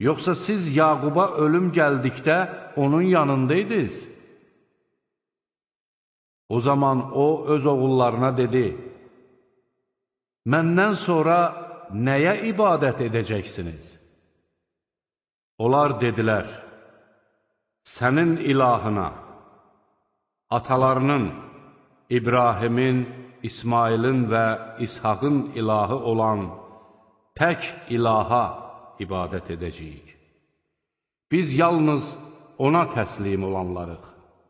Yoxsa siz Yaquba ölüm gəldikdə onun yanındaydınız? O zaman o öz oğullarına dedi, məndən sonra nəyə ibadət edəcəksiniz? Onlar dedilər, sənin ilahına, atalarının, İbrahimin, İsmailin və İshaqın ilahı olan tək ilaha ibadət edəcəyik. Biz yalnız ona təslim olanlarıq.